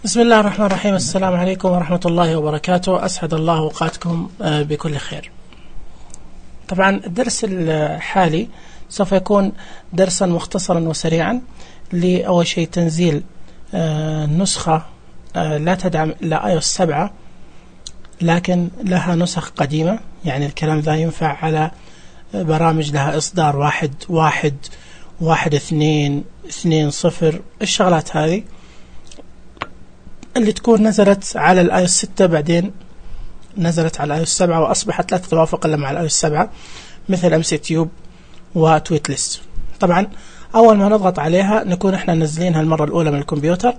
بسم الله الرحمن الرحيم. السلام عليكم ورحمة الله وبركاته. أسعد الله أوقاتكم بكل خير. طبعا الدرس الحالي سوف يكون درسا مختصرا وسريعا لأول شيء تنزيل نسخة لا تدعم إلا iOS 7 لكن لها نسخ قديمة، يعني الكلام ذا ينفع على برامج لها إصدار 1.1.2.2.0 الشغلات هذه اللي تكون نزلت على iOS 6 بعدين نزلت على iOS 7 وأصبحت لا تتوافق إلا مع iOS 7 مثل MCTube وتويتليست. طبعا أول ما نضغط عليها نكون إحنا نزلينها المرة الأولى من الكمبيوتر،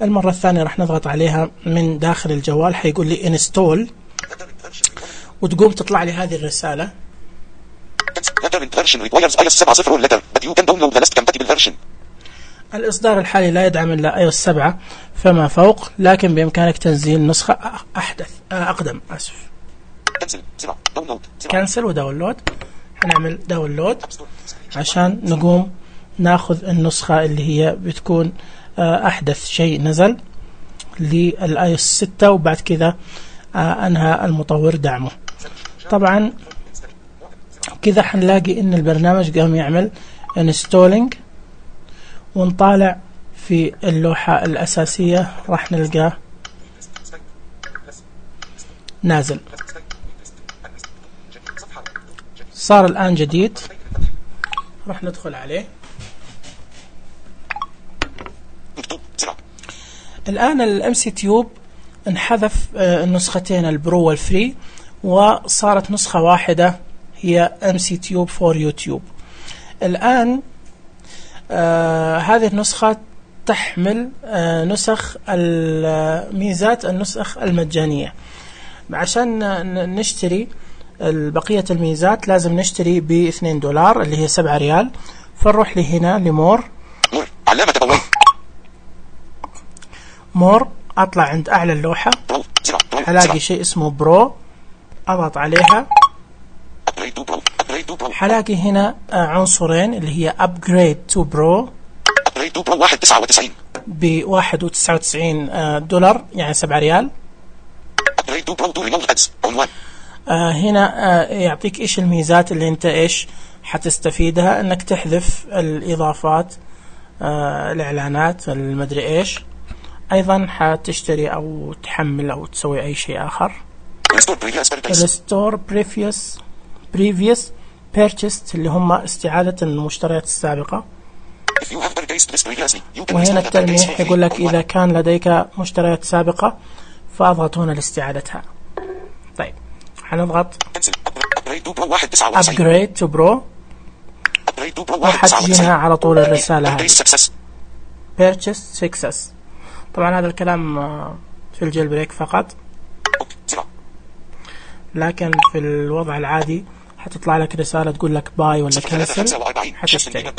المرة الثانية راح نضغط عليها من داخل الجوال، حيقول لي install وتقوم تطلع لي هذه الرسالة. الإصدار الحالي لا يدعم إلا iOS 7 فما فوق، لكن بإمكانك تنزيل نسخة أقدم. كنسل وداونلود. هنعمل داونلود عشان نقوم ناخذ النسخة اللي هي بتكون أحدث شيء نزل للiOS 6، وبعد كذا أنهى المطور دعمه. طبعا كذا حنلاقي إن البرنامج قام يعمل installing، ونطالع في اللوحة الأساسية راح نلقاه نازل. صار الآن جديد، راح ندخل عليه. الآن MCTube انحذف النسختين البرو والفري، وصارت نسخة واحدة هي MCTube for YouTube. الآن هذه النسخة تحمل نسخ الميزات النسخ المجانية. عشان نشتري بقية الميزات لازم نشتري $2 اللي هي 7 ريال. فنروح لهنا لمور، أطلع عند أعلى اللوحة هلاقي شيء اسمه برو، أضغط عليها حلاقي هنا عنصرين اللي هي upgrade to pro ب $1.99 يعني 7 ريال. هنا يعطيك إيش الميزات اللي أنت إيش حتستفيدها، أنك تحذف الإضافات، الإعلانات، المدري إيش. أيضا حتشتري أو تحمل أو تسوي أي شيء آخر. restore previous purchased اللي هم استعادة المشتريات السابقة. وهنا التلميح يقول لك إذا كان لديك مشتريات سابقة فأضغط هنا لاستعادتها. طيب حنضغط upgrade to pro وحتجينا على طول الرسالة هذه purchase success. طبعا هذا الكلام في الجيل بريك فقط، لكن في الوضع العادي حتطلع لك رسالة تقول لك باي ولا كنسل حتشتري.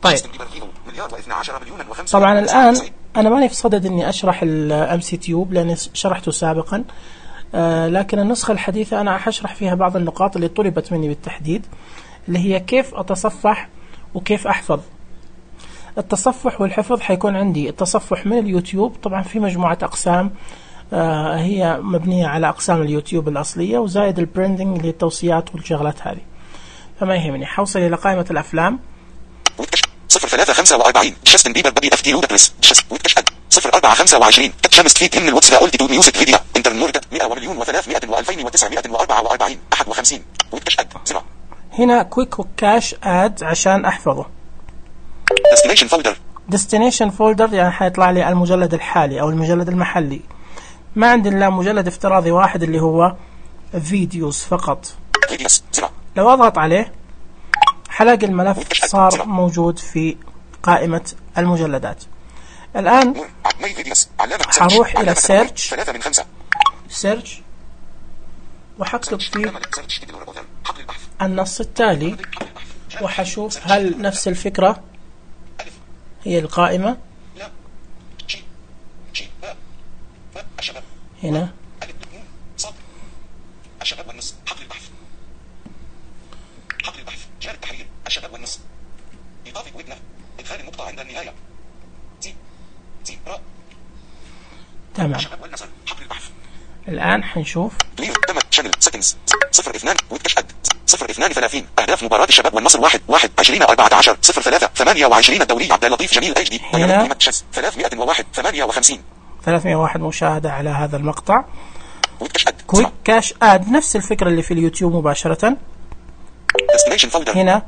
طيب طبعا الآن أنا ماني في صدد أني أشرح MCTube لأني شرحته سابقا، لكن النسخة الحديثة أنا حشرح فيها بعض النقاط اللي طلبت مني بالتحديد، اللي هي كيف أتصفح وكيف أحفظ. التصفح والحفظ حيكون عندي التصفح من اليوتيوب، طبعا في مجموعة أقسام هي مبنية على أقسام اليوتيوب الأصلية، وزائد البرندنج اللي هي التوصيات والشغلات هذه. فما يهمني، حوصل إلى قائمة الأفلام 0.345 جاستن بيبر بابي اف تي لودكريس 0.425 شمس فيت من الواتس لا أولتي ميوزك فيديو انترنورد 100,300,000 و2944 51 وتشهد زرع. هنا كويك وكاش اد عشان أحفظه. destination folder يعني حيطلع لي المجلد الحالي أو المجلد المحلي. ما عندي إلا مجلد افتراضي واحد اللي هو فيديوز فقط. لو أضغط عليه حلاقي الملف صار موجود في قائمة المجلدات. الآن حروح إلى سيرش وحكتب فيه النص التالي وحشوف هل نفس الفكرة هي القائمة. هنا الشباب والنص حقل البحث جار التحرير الشباب والنص إضافة ويدنا إدخال النقطة عند النهاية تمام. الآن حنشوف أهداف مباراة الشباب والنصر 1/1/2014 0-3-28 الدولي عبد اللطيف جميل HD هنا 301 مشاهدة على هذا المقطع. كويك كاش اد نفس الفكرة اللي في اليوتيوب مباشرة. هنا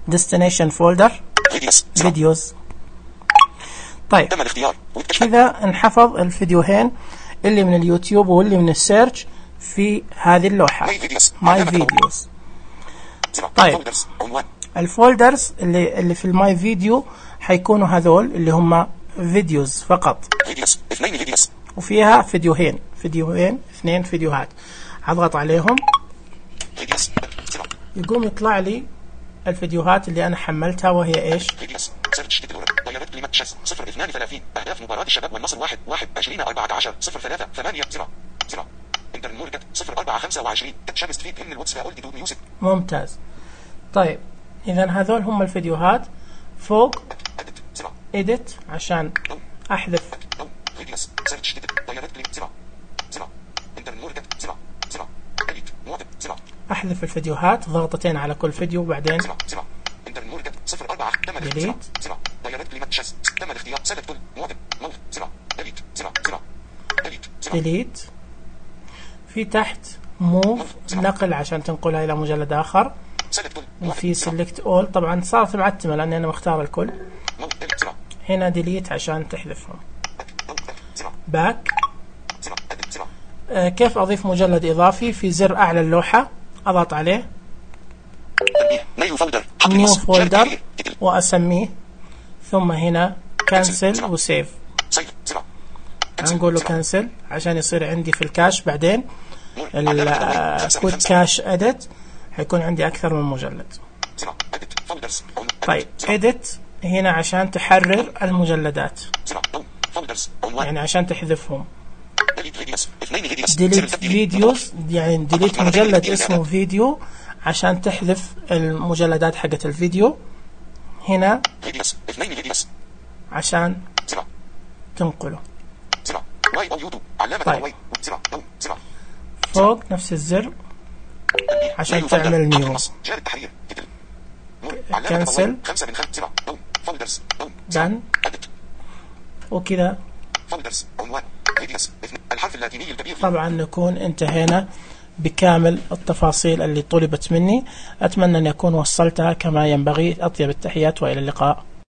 ديستنيشن فولدر فيديوز. طيب كذا انحفظ الفيديوهين اللي من اليوتيوب واللي من السيرش في هذه اللوحة ماي فيديوز. طيب الفولدرز اللي في الماي فيديو حيكونوا هذول اللي هم فيديوز فقط، وفيها فيديوهين 2 فيديوهات. اضغط عليهم يقوم يطلع لي الفيديوهات اللي انا حملتها، وهي ايش؟ أهداف مباراة الشباب والنصر 1/1/2014 0-3-8-0 0-4-25 شمس فيد من الواتس ميوزك. ممتاز. طيب اذا هذول هم الفيديوهات. فوق edit عشان احذف احذف الفيديوهات، ضغطتين على كل فيديو وبعدين ديليت. في تحت موف نقل عشان تنقلها الى مجلد اخر، وفي سيلكت اول. طبعا صارت معتمه لاني انا مختار الكل. هنا ديليت عشان تحذفهم. باك. كيف اضيف مجلد اضافي؟ في زر اعلى اللوحه اضغط عليه نيو فولدر واسميه، ثم هنا كانسل وسيف. نقول له كانسل عشان يصير عندي في الكاش. بعدين الكود كاش اديت حيكون عندي اكثر من مجلد. طيب اديت هنا عشان تحرر المجلدات، يعني عشان تحذفهم. ديليت فيديوز يعني ديليت مجلد اسمه فيديو عشان تحذف المجلدات حقت الفيديو. هنا عشان تنقله. طيب فوق نفس الزر عشان تعمل نيو. كنسل دان وكذا. طبعا نكون انتهينا بكامل التفاصيل اللي طلبت مني. أتمنى أن أكون وصلتها كما ينبغي. أطيب التحيات وإلى اللقاء.